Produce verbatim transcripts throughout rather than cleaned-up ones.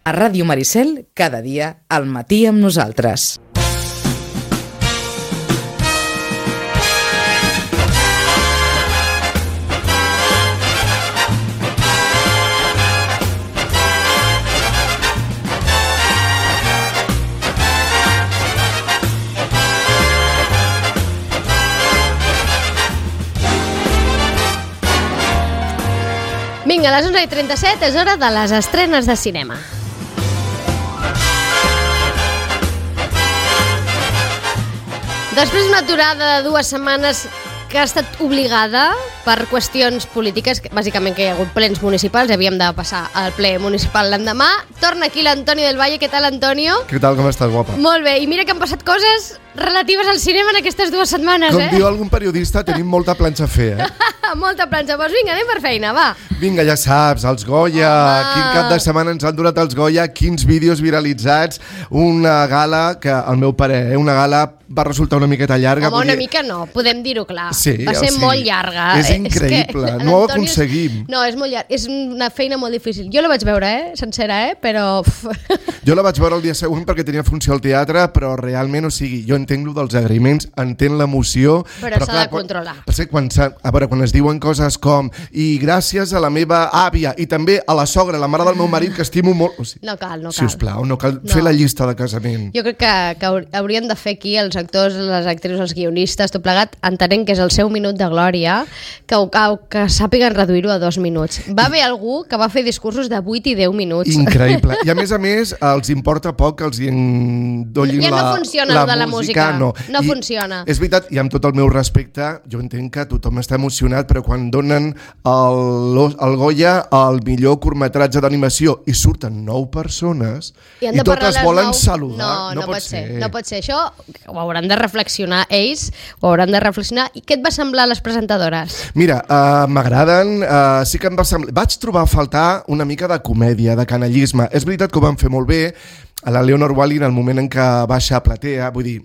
A Ràdio Maricel, cada dia, al matí amb nosaltres. Vinga, a les onze i trenta-set és hora de les estrenes de cinema. Després d'una aturada de dues setmanes que ha estat obligada per qüestions polítiques, bàsicament que hi ha hagut plens municipals, havíem de passar al ple municipal l'endemà, torna aquí l'Antonio del Valle. Què tal, Antonio? Què tal, com estàs, guapa? Molt bé, i mira que han passat coses relatives al cinema en aquestes dues setmanes, com eh? Com diu algun periodista, tenim molta planxa a fer, eh? Molta planxa, doncs vinga, anem per feina, va. Vinga, ja saps, els Goya, Home. Quin cap de setmana ens han donat els Goya, quins vídeos viralitzats, una gala que, al meu parer, eh, una gala va resultar una miqueta llarga. Home, una dir... mica no, podem dir-ho clar. Sí, va ser o sigui, molt llarga. És increïble, és que no ho aconseguim. No, és molt llarg, és una feina molt difícil. Jo la vaig veure, eh, sencera, eh, però... Jo la vaig veure el dia següent perquè tenia funció al teatre, però realment, o sigui, jo entenc lo dels agraïments, entenc l'emoció... Però, però s'ha de controlar. Quan, per quan, a veure, quan es diuen coses com i gràcies a la meva àvia i també a la sogra, la mare del meu marit, que estimo molt... O sigui, no cal, no cal. Sisplau, no cal no. fer la llista de casament. Jo crec que, que haurien de fer aquí els actors, les actrius, els guionistes, tot plegat, entenent que és el seu minut de glòria, que, que, que sàpiguen reduir-ho a dos minuts. Va haver algú que va fer discursos de vuit i deu minuts. Increïble. I a més a més, els importa poc que els endollin ja la, no funciona la, de la música. No, no I funciona. És veritat, i amb tot el meu respecte, jo entenc que tothom està emocionat, però quan donen el, el Goya al millor curtmetratge d'animació i surten nou persones i, i totes volen nou... saludar, no, no, no pot, pot ser. ser. No pot ser. Això ho hauran de reflexionar ells, ho hauran de reflexionar. I què et va semblar les presentadores? Mira, uh, m'agraden, uh, sí que em va semblar... Vaig trobar a faltar una mica de comèdia, de canallisme. És veritat que ho van fer molt bé, a la Leonor Wally en el moment en què baixa a platea, vull dir,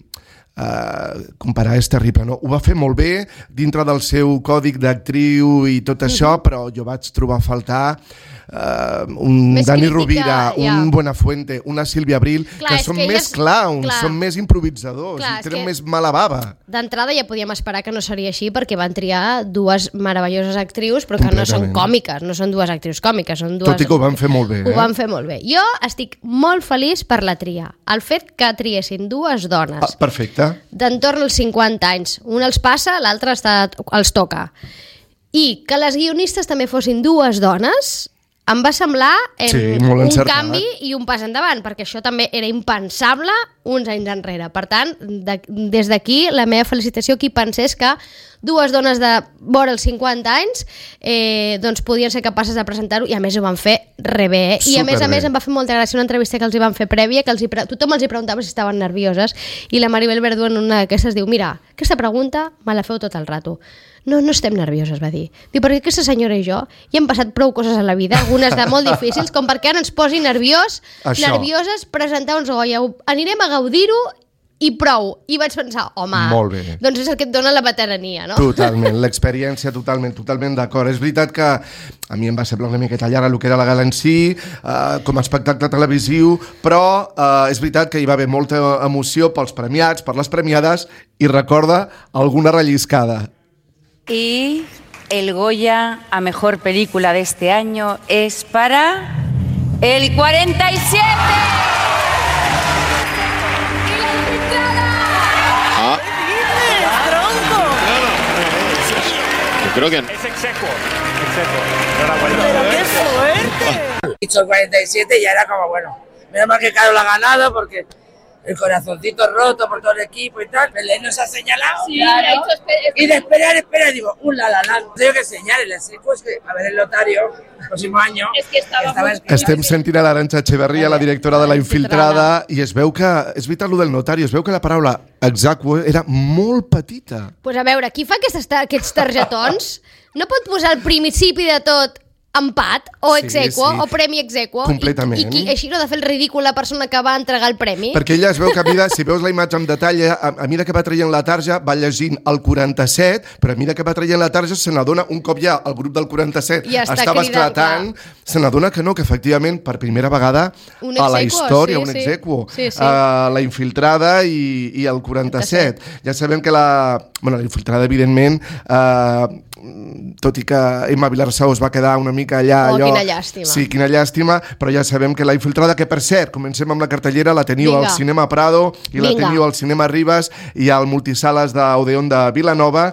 uh, comparar és terrible, no? Ho va fer molt bé dintre del seu còdic d'actriu i tot això, mm-hmm. però jo vaig trobar a faltar uh, un més Dani crítica, Rovira, ja. un Buenafuente, una Sílvia Abril, clar, que són que més elles... clowns, clar. són més improvisadors, clar, i tenen que... més mala bava. D'entrada ja podíem esperar que no seria així perquè van triar dues meravelloses actrius però que no són còmiques, no són dues actrius còmiques, són dues... Tot i que ho van fer molt bé. Ho eh? van fer molt bé. Jo estic molt feliç per la tria. El fet que triessin dues dones Ah, perfecte. d'entorn als cinquanta anys. Un els passa, l'altre està, els toca. I que les guionistes també fossin dues dones... Em va semblar eh, sí, un encertat. canvi i un pas endavant, perquè això també era impensable uns anys enrere. Per tant, de, des d'aquí, la meva felicitació qui pensés que dues dones de vora els cinquanta anys eh, doncs podien ser capaces de presentar-ho, i a més ho van fer re bé. Eh? I a més a més em va fer molta gràcia una entrevista que els hi van fer prèvia, que els hi pre... tothom els hi preguntava si estaven nervioses, i la Maribel Verdú en una d'aquestes diu: mira, aquesta pregunta me la feu tot el rato. No, no estem nervioses, va dir. Diu, perquè aquesta senyora i jo hi hem passat prou coses a la vida, algunes de molt difícils, com perquè ara ens posi nerviós, Això. nervioses presentar uns Goya. Anirem a gaudir-ho i prou. I vaig pensar, home, molt bé. doncs és el que et dona la veterania, no? Totalment, l'experiència totalment, totalment d'acord. És veritat que a mi em va semblar una miqueta llarga el que era la gala en si, eh, com a espectacle televisiu, però eh, és veritat que hi va haver molta emoció pels premiats, per les premiades, i recorda alguna relliscada. Y el Goya a Mejor Película de este año es para el cuarenta y siete. Ah. ¡Tronco! Yo creo que... Es execuo. Execuo. ¡Pero qué suerte! Dicho cuarenta y siete ya era como, bueno, menos mal que Carol ha ganado porque el corazoncito roto por todo el equipo y tal. Belén nos ha señalado. Sí, claro. Ha hecho esper- Y de esperar, espera, digo, un la la la. Tengo que señalar, el seco es que, a ver, el Lotario, el próximo año... Es que estaba muy... escrito. Estem sentint a l'Arantxa Echeverría, la directora de La Infiltrada, i es veu que, és veritat, lo del notari, es veu que la paraula execuo era molt petita. Pues a veure, qui fa aquestes, aquests targetons no pot posar al principi de tot empat, o Sí, exequo, sí. o premi exequo. Completament. I, i qui, així no ha de fer el ridícul la persona que va entregar el premi. Perquè ella es veu que a mida, si veus la imatge amb detall, a, a mida que va traient la tarja va llegint el quaranta-set, però a mida que va traient la tarja se n'adona, un cop ja el grup del quaranta-set Ja està estava cridant, esclatant, se n'adona que no, que efectivament per primera vegada Un a la exequo, història, sí, un sí. exequo, Sí, sí. Uh, la infiltrada i, i el quaranta-set. Ja sabem que la... Bueno, la infiltrada, evidentment, uh, tot i que Emma Vilarsau es va quedar una mica allà... Oh, allò, quina llàstima. Sí, quina llàstima, però ja sabem que la infiltrada, que per cert, comencem amb la cartellera, la teniu Vinga. al Cinema Prado i la Vinga. teniu al Cinema Ribes i al Multisales d'Odeon de Vilanova.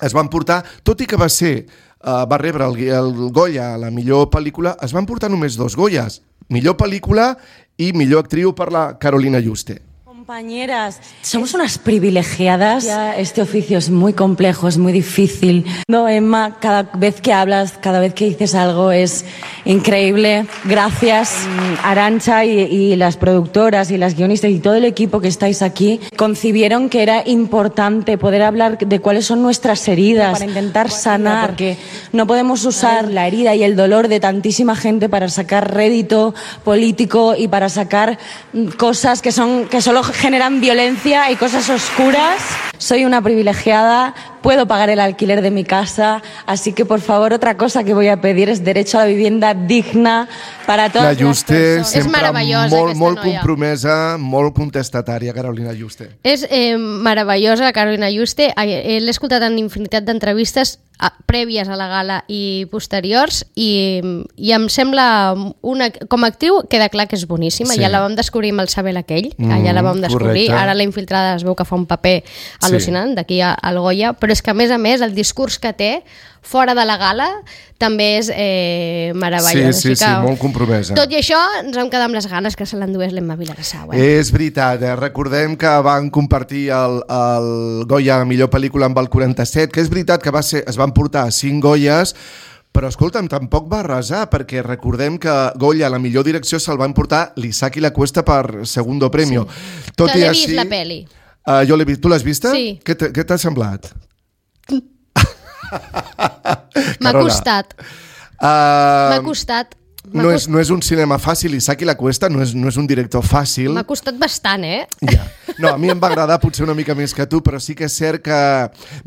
Es van portar, tot i que va ser, uh, va rebre el, el Goya a la millor pel·lícula, es van portar només dos Goyas, millor pel·lícula i millor actriu per la Carolina Juste. Compañeras, somos unas privilegiadas. Ya este oficio es muy complejo, es muy difícil. No, Emma, cada vez que hablas, cada vez que dices algo es increíble. Gracias. Arantxa y, y las productoras y las guionistas y todo el equipo que estáis aquí concibieron que era importante poder hablar de cuáles son nuestras heridas para intentar sanar, porque no podemos usar la herida y el dolor de tantísima gente para sacar rédito político y para sacar cosas que son que solo generan violencia y cosas oscuras. Soy una privilegiada, puedo pagar el alquiler de mi casa, así que por favor otra cosa que voy a pedir es derecho a la vivienda digna para todas La Juste, las personas. És sempre meravellosa, molt, aquesta molt noia. compromesa, molt contestatària, Carolina Juste. És eh, meravellosa, Carolina Juste. Eh, L'he escoltat en infinitat d'entrevistes a, prèvies a la gala i posteriors i, i em sembla una, com a actriu queda clar que és boníssima. Sí. Ja la vam descobrir amb el Sabel aquell, que Mm, ja la vam descobrir. correcte. Ara la infiltrada es veu que fa un paper al·lucinant d'aquí al Goya, però és que a més a més el discurs que té fora de la gala també és eh, meravellós. Sí, sí, Així que, sí, molt compromesa. Tot i això, ens vam quedar amb les ganes que se l'endués l'Emma Vilarsau. Eh? És veritat, eh? Recordem que van compartir el, el Goya a millor pel·lícula amb el quaranta-set, que és veritat que va ser, es van portar cinc Goyes, però escolta'm, tampoc va arrasar, perquè recordem que Goya, a la millor direcció, se'l van portar l'Isaac i la Cuesta per segundo premio. Sí. Tot Que i l'he així, vist, la peli. Uh, jo l'he vist. Tu l'has vista? Sí. Què t'ha- què t'ha semblat? M'ha Carola. costat, Uh, m'ha costat. M'ha no, és, cost- no és un cinema fàcil, Isaac i la Cuesta no és, no és un director fàcil. M'ha costat bastant, eh? Ja. No, a mi em va agradar potser una mica més que tu, però sí que és cert que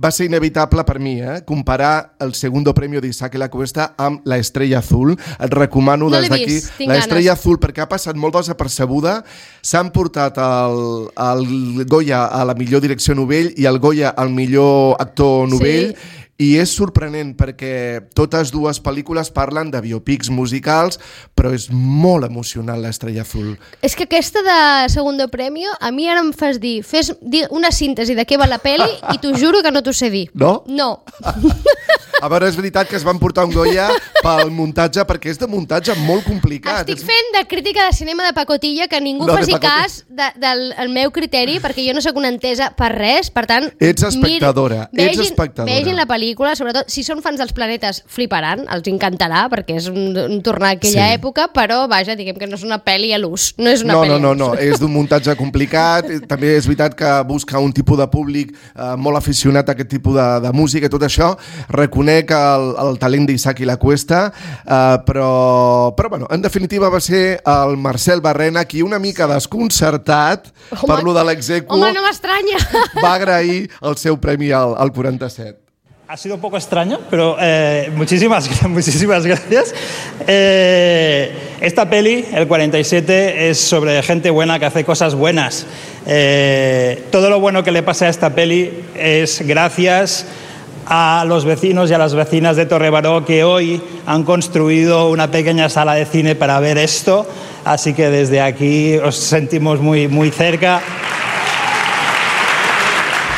va ser inevitable per mi, eh? comparar el segundo premio d'Isaac i la Cuesta amb La Estrella Azul. Et recomano No des l'he d'aquí vist, tinc La Estrella ganes. Azul, perquè ha passat molt desapercebuda. S'han portat el, el Goya a la millor direcció novell i el Goya al millor actor novell. Sí. I és sorprenent perquè totes dues pel·lícules parlen de biopics musicals, però és molt emocional l'Estrella Azul. És que aquesta de Segundo Premio, a mi ara em fas dir, fes dir una síntesi de què va la peli i t'ho juro que no t'ho sé dir. No? No. A veure, és veritat que es van portar un Goya pel muntatge, perquè és de muntatge molt complicat. Estic fent de crítica de cinema de pacotilla, que ningú No, de faci pacotilla. cas de, del el meu criteri, perquè jo no sóc una entesa per res, per tant... Ets espectadora, miri, ets vegin, espectadora. Vegin la pel·lícula, sobretot, si són fans dels planetes, fliparan, els encantarà, perquè és un, un tornar a aquella Sí. època, però, vaja, diguem que no és una pel·li a l'ús. No és una No, pel·li no, no, a no, l'ús. és d'un muntatge complicat. També és veritat que busca un tipus de públic eh, molt aficionat a aquest tipus de, de música i tot això. Reconec el, el talent d'Isaac i la Cuesta, eh, però, però bueno, en definitiva va ser el Marcel Barrena qui una mica desconcertat Home, per lo de l'execu Home, no m'estranya. va agrair el seu premi al, al quaranta-set. Ha sido un poco extraño, pero eh, muchísimas, muchísimas gracias. Eh, esta peli, el cuarenta y siete, es sobre gente buena que hace cosas buenas. Eh, todo lo bueno que le pasa a esta peli es gracias a los vecinos y a las vecinas de Torrebaró que hoy han construido una pequeña sala de cine para ver esto. Así que desde aquí os sentimos muy, muy cerca.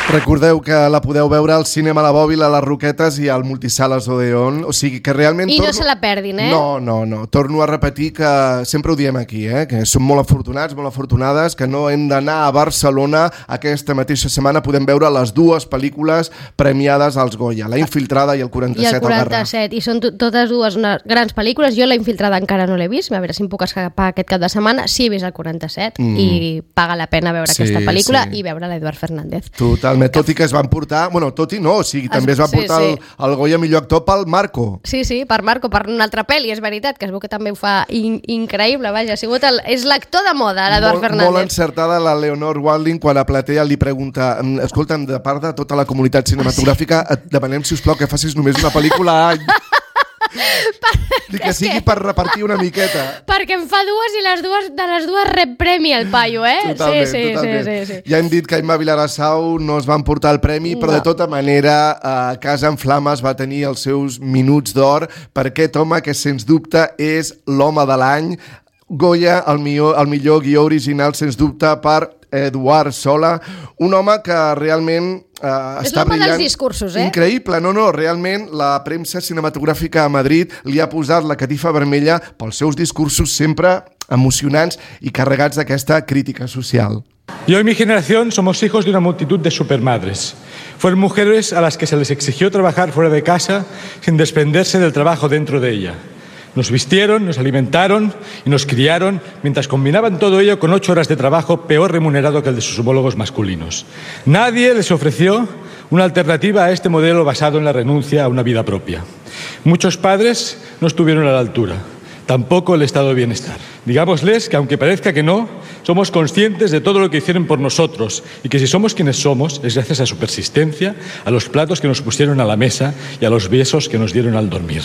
Recordeu que la podeu veure al Cinema La Bòbila, a les Roquetes i al Multisales Odeon. O sigui que realment... I no torno... se la perdin, eh? No, no, no. Torno a repetir que sempre ho diem aquí, eh? que som molt afortunats, molt afortunades, que no hem d'anar a Barcelona aquesta mateixa setmana. Podem veure les dues pel·lícules premiades als Goya, La Infiltrada i el I quaranta-set el al Garraf. quaranta-set, i són to- totes dues una, grans pel·lícules. Jo La Infiltrada encara no l'he vist, a veure si em puc escapar aquest cap de setmana. Sí he vist el quaranta-set Mm. i paga la pena veure Sí, aquesta pel·lícula sí. i veure l'Eduard Fernández. Totalment Totalment, tot i que es van portar... Bueno, tot i no, o sigui, també es va sí, portar sí. el, el Goya millor actor pel Marco. Sí, sí, per Marco, per una altra pel·li, és veritat, que es veu que també ho fa in increïble, vaja, ha sigut el, és l'actor de moda, l'Eduard Fernández. Molt encertada la Leonor Walding quan a Platea li pregunta, escolta'm, de part de tota la comunitat cinematogràfica, et demanem, sisplau, que facis només una pel·lícula a any. Dic que sigui per repartir una miqueta. Perquè en fa dues i les dues, de les dues rep premi el paio, eh? Totalment, sí, sí, totalment. sí, sí, sí. Ja hem dit que Imma Vilarassau no es van portar el premi, però No. de tota manera eh, Casa en Flames va tenir els seus minuts d'or per aquest home que sens dubte és l'home de l'any. Goya, el millor, el millor guió original, sens dubte, per Eduard Sola, un home que realment Uh, és l'home dels discursos, eh? Increïble, no, no, realment la premsa cinematogràfica a Madrid li ha posat la catifa vermella pels seus discursos sempre emocionants i carregats d'aquesta crítica social. Yo y mi generación somos hijos de una multitud de supermadres. Fueron mujeres a las que se les exigió trabajar fuera de casa sin desprenderse del trabajo dentro de ella. Nos vistieron, nos alimentaron y nos criaron mientras combinaban todo ello con ocho horas de trabajo peor remunerado que el de sus homólogos masculinos. Nadie les ofreció una alternativa a este modelo basado en la renuncia a una vida propia. Muchos padres no estuvieron a la altura, tampoco el estado de bienestar. Digámosles que aunque parezca que no, somos conscientes de todo lo que hicieron por nosotros y que si somos quienes somos es gracias a su persistencia, a los platos que nos pusieron a la mesa y a los besos que nos dieron al dormir.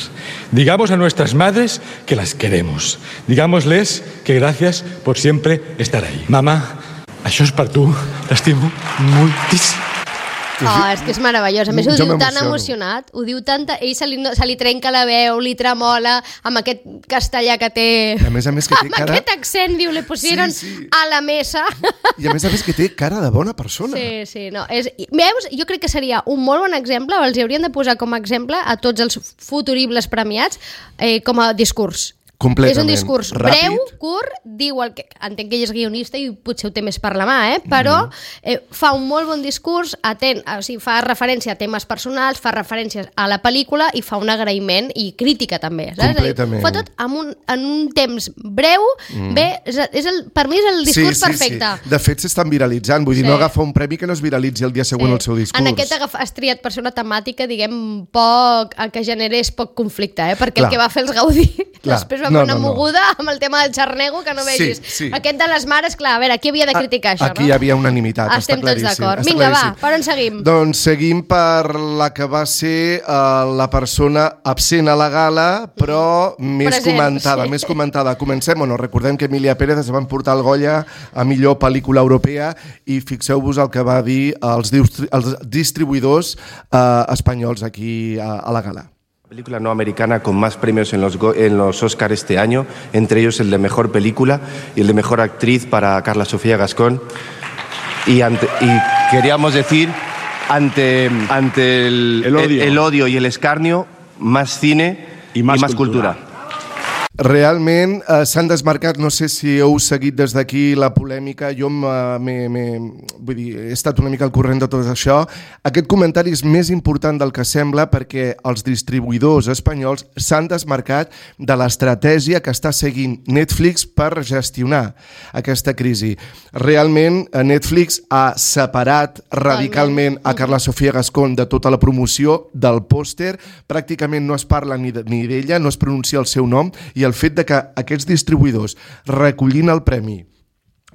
Digamos a nuestras madres que las queremos. Digámosles que gracias por siempre estar ahí. Mamá, això és per tu. T'estimo moltíssim. Oh, és que és meravellós. A més, ho Jo diu tan m'emociono. emocionat, ho diu tanta... Ell se li, se li trenca la veu, li tremola, amb aquest castellà que té... A més a més que té amb cara... aquest accent, diu, li pusieron Sí, sí. a la mesa. I a més a més que té cara de bona persona. Sí, sí, no. És, veus, jo crec que seria un molt bon exemple, o els hauríem de posar com a exemple a tots els futuribles premiats eh, com a discurs. Completament. És un discurs Ràpid. breu, curt, diu el que... Entenc que ell és guionista i potser ho té més per la mà, eh? Però eh, fa un molt bon discurs, atent, o sigui, fa referència a temes personals, fa referències a la pel·lícula i fa un agraïment i crítica també. Saps? Completament. Fa tot en un, en un temps breu, mm. bé, és, és el, per mi és el discurs sí, sí, perfecte. Sí. De fet, s'estan viralitzant. Vull dir, Sí. no agafa un premi que no es viralitzi el dia següent Sí. el seu discurs. En aquest agaf, has triat per ser una temàtica, diguem, poc, el que generés poc conflicte, eh? Perquè Clar. el que va fer els Gaudí Clar. després va No, fer una no, no. moguda amb el tema del xarnego que no Sí, vegis. sí. Aquest de les mares, clar, a veure, qui havia de criticar això, Aquí no? hi havia unanimitat, Estem està tots claríssim. d'acord. està Vinga, va, claríssim. per on seguim? Doncs seguim per la que va ser uh, la persona absent a la gala, però més Present, comentada, sí. més comentada. Comencem, bueno, recordem que Emilia Pérez es van portar el Goya a millor pel·lícula europea i fixeu-vos el que va dir els, distri els distribuïdors uh, espanyols aquí a, a la gala. Película no americana con más premios en los, en los Oscar este año, entre ellos el de Mejor Película y el de Mejor Actriz para Carla Sofía Gascón. Y, ante, y queríamos decir, ante, ante el, El odio. el, el odio y el escarnio, más cine y más, y más cultura. cultura. Realment eh, s'han desmarcat, no sé si heu seguit des d'aquí la polèmica, jo m'he, vull dir, he estat una mica al corrent de tot això. Aquest comentari és més important del que sembla perquè els distribuïdors espanyols s'han desmarcat de l'estratègia que està seguint Netflix per gestionar aquesta crisi. Realment Netflix ha separat radicalment a Carla Sofía Gascón de tota la promoció del pòster, pràcticament no es parla ni d'ella, no es pronuncia el seu nom, i el fet de que aquests distribuïdors recollint el premi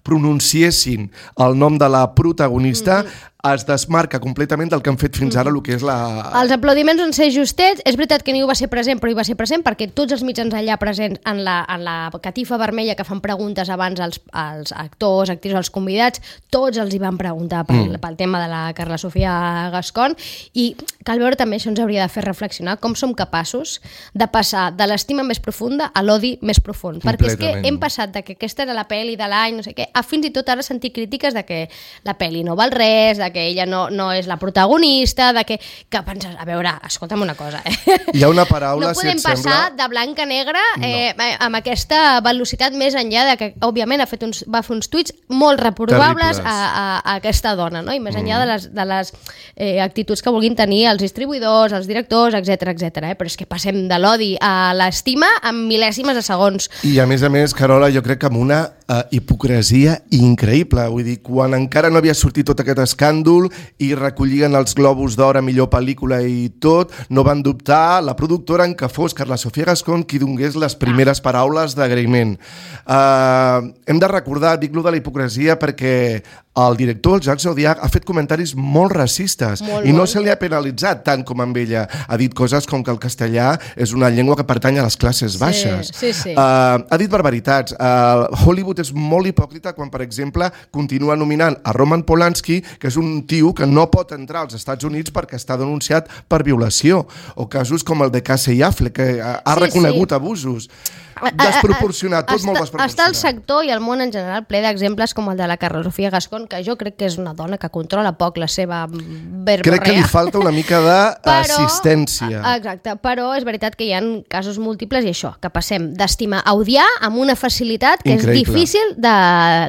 pronunciessin el nom de la protagonista mm-hmm. es desmarca completament del que han fet fins ara, el que és la... Els aplaudiments van ser justets. És veritat que ningú va ser present, però hi va ser present perquè tots els mitjans allà presents en la, en la catifa vermella que fan preguntes abans als, als actors, actrius, als convidats, tots els hi van preguntar pel, mm. pel tema de la Carla Sofía Gascón, i cal veure també, això ens hauria de fer reflexionar, com som capaços de passar de l'estima més profunda a l'odi més profund. Perquè és que hem passat de que aquesta era la pel·li de l'any, no sé què, a fins i tot ara sentir crítiques de que la pel·li no val res, de que ella no, no és la protagonista, de que, que penses, a veure, escolta'm una cosa, eh? Hi ha una paraula, no podem si et sembla... passar de blanc a negre eh, no. amb aquesta velocitat més enllà de que, òbviament, ha fet uns, va fer uns tuits molt reprovables a, a, a aquesta dona, no? I més enllà mm. de les, de les eh, actituds que vulguin tenir els distribuïdors, els directors, etcètera, etcètera. Eh? Però és que passem de l'odi a l'estima en mil·lèsimes de segons. I a més a més, Carola, jo crec que amb una uh, hipocresia increïble. Vull dir, quan encara no havia sortit tot aquest escàndol i recollien els Globus d'Or a millor pel·lícula i tot, no van dubtar la productora en què fos Carla Sofía Gascón qui donés les primeres paraules d'agraïment. Uh, hem de recordar, dic lo de la hipocresia, perquè el director, el Jacques Audiard, ha fet comentaris molt racistes molt, i no molt. se li ha penalitzat tant com amb ella. Ha dit coses com que el castellà és una llengua que pertany a les classes baixes. Sí, sí, sí. Uh, ha dit barbaritats. Uh, Hollywood és molt hipòcrita quan, per exemple, continua nominant a Roman Polanski, que és un tio que no pot entrar als Estats Units perquè està denunciat per violació, o casos com el de Casey Affleck, que ha sí, reconegut sí. abusos. Desproporcionat, tot està, molt desproporcionat. Està el sector i el món en general ple d'exemples com el de la Carla Sofía Gascón, que jo crec que és una dona que controla poc la seva verborrea. Crec que li falta una mica d'assistència. Exacte, però és veritat que hi ha casos múltiples i això, que passem d'estimar a odiar amb una facilitat que Increïble. és difícil de,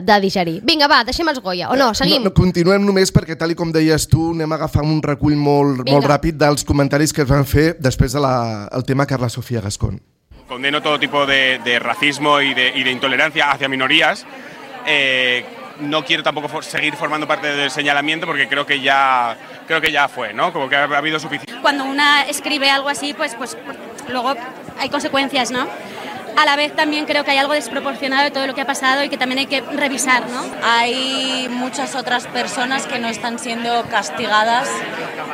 de digerir. Vinga, va, deixem els Goya, o no, seguim? No, no, continuem només perquè, tal i com deies tu, anem a agafar un recull molt, molt ràpid dels comentaris que es van fer després del de tema Carla Sofía Gascón. Condeno todo tipo de, de racismo y de, y de intolerancia hacia minorías. Eh, no quiero tampoco for, seguir formando parte del señalamiento porque creo que ya creo que ya fue, ¿no? Como que ha, ha habido suficiente. Cuando una escribe algo así, pues, pues luego hay consecuencias, ¿no? A la vez también creo que hay algo desproporcionado de todo lo que ha pasado y que también hay que revisar, ¿no? Hay muchas otras personas que no están siendo castigadas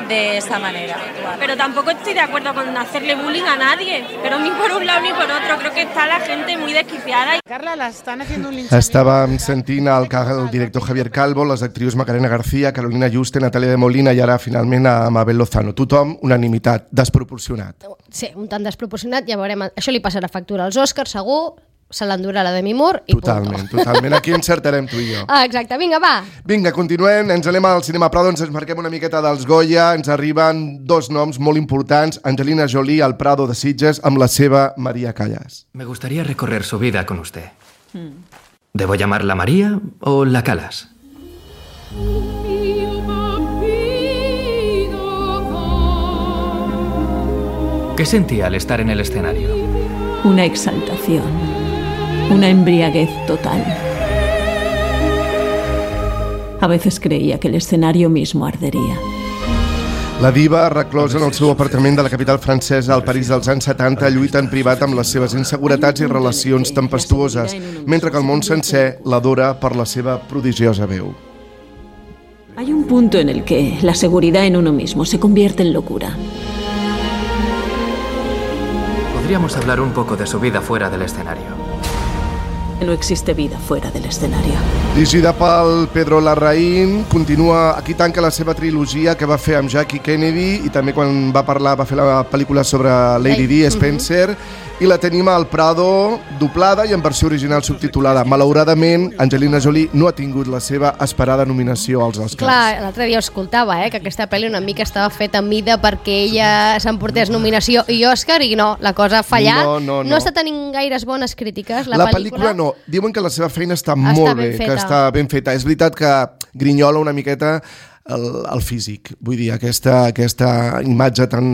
de esta manera. Pero tampoco estoy de acuerdo con hacerle bullying a nadie, pero ni por un lado ni por otro. Creo que está la gente muy desquiciada. Carla, la están haciendo un linchamiento. Estàvem sentint el, el director Javier Calvo, les actrius Macarena García, Carolina Juste, Natàlia de Molina i ara finalment a Mabel Lozano. Tothom, unanimitat, desproporcionat. Sí, un tant desproporcionat, ja veurem. Això li passarà factura als Oscars, segur, se l'endurà la Demi Moore i totalment, punto. Totalment, aquí encertarem tu i jo. Ah, exacte, vinga, va. Vinga, continuem, ens anem al Cinema Prado, ens marquem una miqueta dels Goya, ens arriben dos noms molt importants, Angelina Jolie al Prado de Sitges amb la seva María Callas. Me gustaría recorrer su vida con usted. ¿Debo llamarla María o la Callas? ¿Qué sentía al estar en el escenario? Una exaltación, una embriaguez total. A veces creía que el escenario mismo ardería. La diva, reclosa en el seu apartament de la capital francesa al París dels anys setanta, lluita en privat amb les seves inseguretats i relacions tempestuoses, mentre que el món sencer l'adora per la seva prodigiosa veu. Hay un punto en el que la seguridad en uno mismo se convierte en locura. Podríamos hablar un poco de su vida fuera del escenario. No existe vida fuera del escenario. Dirigida pel Pedro Larraín, continua, aquí tanca la seva trilogia que va fer amb Jackie Kennedy i també quan va parlar, va fer la pel·lícula sobre Lady Di, Spencer, i la tenim al Prado doblada i en versió original subtitulada. Malauradament, Angelina Jolie no ha tingut la seva esperada nominació als Oscars. Clar, l'altre dia ho escoltava, eh, que aquesta pel·li una mica estava feta a mida perquè ella s'emportés nominació i Òscar i no, la cosa ha fallat. No, no, no. No està tenint gaires bones crítiques, la, la pel·lícula. pel·lícula no, diuen que la seva feina està, està molt ben bé, feta. que està ben feta. És veritat que grinyola una miqueta el, el físic, vull dir, aquesta, aquesta imatge tan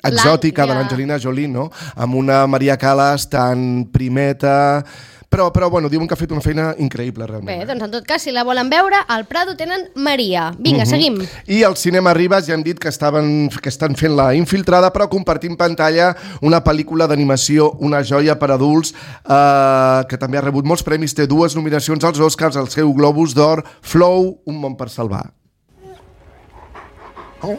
exòtica ja. de l'Angelina Jolie, no? Amb una Maria Callas tan primeta, però, però bueno, diuen que ha fet una feina increïble realment. Bé, doncs en tot cas, si la volen veure, al Prado tenen Maria. Vinga, uh-huh. seguim. I al Cinema Ribes ja hem dit que, estaven, que estan fent la infiltrada, però compartim pantalla una pel·lícula d'animació, una joia per adults, eh, que també ha rebut molts premis, té dues nominacions als Oscars, al seu Globus d'Or, Flow, Un món per salvar. Oh.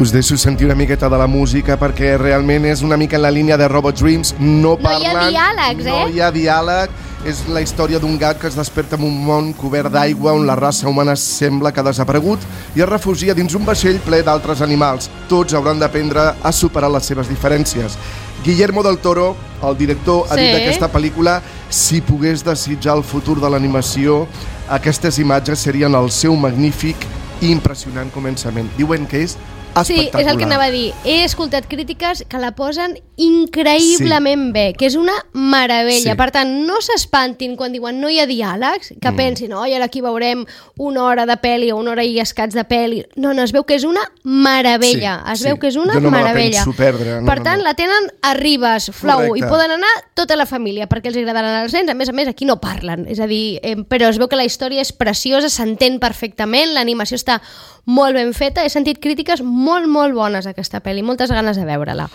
Us deixo sentir una miqueta de la música perquè realment és una mica en la línia de Robot Dreams. No parlen, no hi ha diàlegs, eh? No hi ha diàleg. És la història d'un gat que es desperta en un món cobert d'aigua on la raça humana sembla que ha desaparegut i es refugia dins un vaixell ple d'altres animals. Tots hauran d'aprendre a superar les seves diferències. Guillermo del Toro, el director, ha sí. dit d'aquesta pel·lícula: si pogués desitjar el futur de l'animació, aquestes imatges serien el seu magnífic i impressionant començament. Diuen que és Sí, és el que anava a dir. He escoltat crítiques que la posen increïblement sí. bé, que és una meravella. Sí. Per tant, no s'espantin quan diuen no hi ha diàlegs, que mm. pensin, oi, ara aquí veurem una hora de pel·li o una hora i escats de pel·li. No, no, es veu que és una meravella. Sí, es veu sí. que és una jo no meravella. Me la penso perdre. No, per tant, no, no. la tenen a Ribes, Flow, correcte. I poden anar tota la família, perquè els agradaran els nens. A més a més, aquí no parlen. És a dir, eh, però es veu que la història és preciosa, s'entén perfectament, l'animació està molt ben feta. He sentit crítiques molt, molt bones a aquesta pel·li, moltes ganes de veure-la.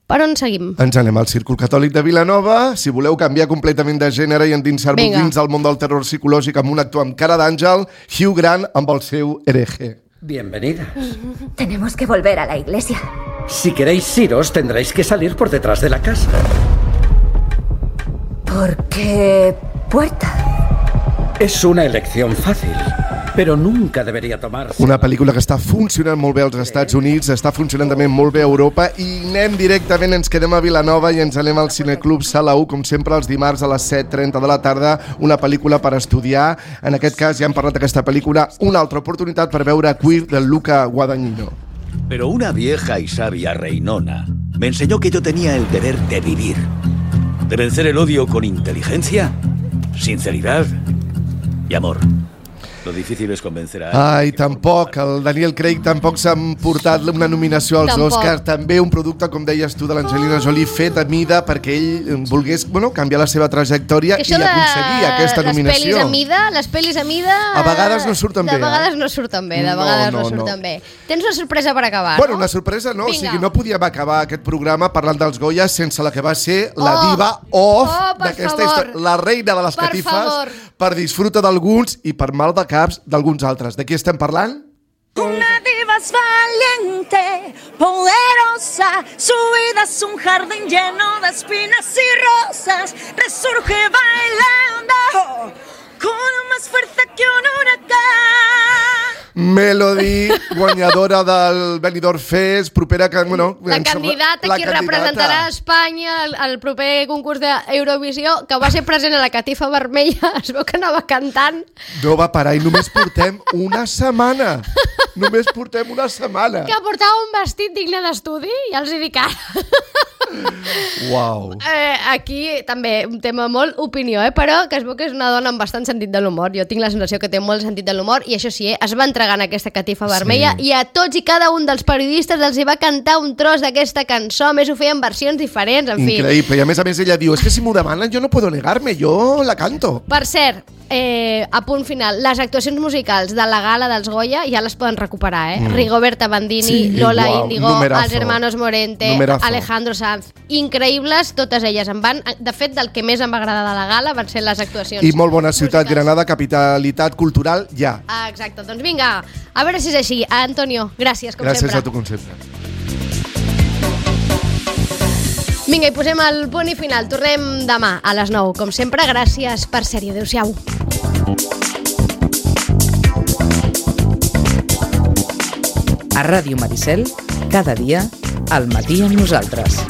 Per on seguim? Ens anem al Círcul Catòlic de Vilanova. Si voleu canviar completament de gènere i endinsar-vos dins del món del terror psicològic amb un actor amb cara d'àngel, Hugh Grant amb el seu hereje. Bienvenida. Tenemos que volver a la iglesia. Si queréis iros, tendréis que salir por detrás de la casa. ¿Por qué puerta? Es una elección fácil. Però nunca deberia tomar-se. Una pel·lícula que està funcionant molt bé als Estats Units, està funcionant també molt bé a Europa, i anem directament, ens quedem a Vilanova i ens anem al Cineclub Sala u, com sempre els dimarts a les set trenta de la tarda, una pel·lícula per estudiar. En aquest cas ja hem parlat d'aquesta pel·lícula, una altra oportunitat per veure Queer de Luca Guadagnino. Pero una vieja y sabia reinona me enseñó que yo tenía el deber de vivir, de vencer el odio con inteligencia, sinceridad y amor. Lo difícil es convencer a... Ai, tampoc, el Daniel Craig tampoc s'ha portat una nominació als tampoc. Oscars, també un producte, com deies tu, de l'Angelina Jolie fet a mida perquè ell volgués, bueno, canviar la seva trajectòria i aconseguir aquesta nominació. Les pel·lis a mida, les pel·lis a mida... A vegades no surten bé. De vegades no surten bé, de vegades no, no, no surten no. bé. Tens una sorpresa per acabar, bueno, no? Una sorpresa no, Vinga. O sigui, no podíem acabar aquest programa parlant dels Goya sense la que va ser la oh. diva off oh, d'aquesta història, la reina de les per catifes, favor. Per disfruta d'alguns i per mal de caps d'alguns altres. De qui estem parlant? Una diva es valiente, poderosa, su vida es un jardín lleno de espinas y rosas, resurge bailando con más fuerza que un huracán. Melody, guanyadora del Benidorm Fest, propera que... Bueno, la candidata la que candidata. representarà Espanya al, al proper concurs d'Eurovisió, que va ser present a la Catifa Vermella, es veu que anava cantant. No va parar i només portem una setmana. Només portem una setmana. Que portava un vestit digne d'estudi, ja els hi dic ara. Uau. Eh, aquí també un tema molt opinió, eh? Però que es veu que és una dona amb bastant sentit de l'humor. Jo tinc la sensació que té molt sentit de l'humor i això sí, eh? Es va entregar en aquesta Catifa Vermella sí. i a tots i cada un dels periodistes els hi va cantar un tros d'aquesta cançó. A més ho feien versions diferents, en fi. Increïble, i a més a més ella diu, és que si m'ho demanen jo no puedo negarme, jo la canto. Per cert, eh, a punt final, les actuacions musicals de la gala dels Goya ja les poden recuperar, eh? Mm. Rigoberta Bandini, sí, Lola wow, Índigo, numerazo. Els hermanos Morente, numerazo. Alejandro Sanz, increïbles, totes elles em van, de fet del que més em va agradar de la gala van ser les actuacions. I molt bona ciutat, musicals. Granada, capitalitat cultural, ja. Ah, exacte, doncs vinga, a veure si és així. Antonio, gràcies, com gràcies sempre. Gràcies a tu, com sempre. Vinga, i posem el punt i final. Tornem demà a les nou. Com sempre, gràcies per ser-hi. Adéu-siau. A Ràdio Maricel, cada dia, al matí amb nosaltres.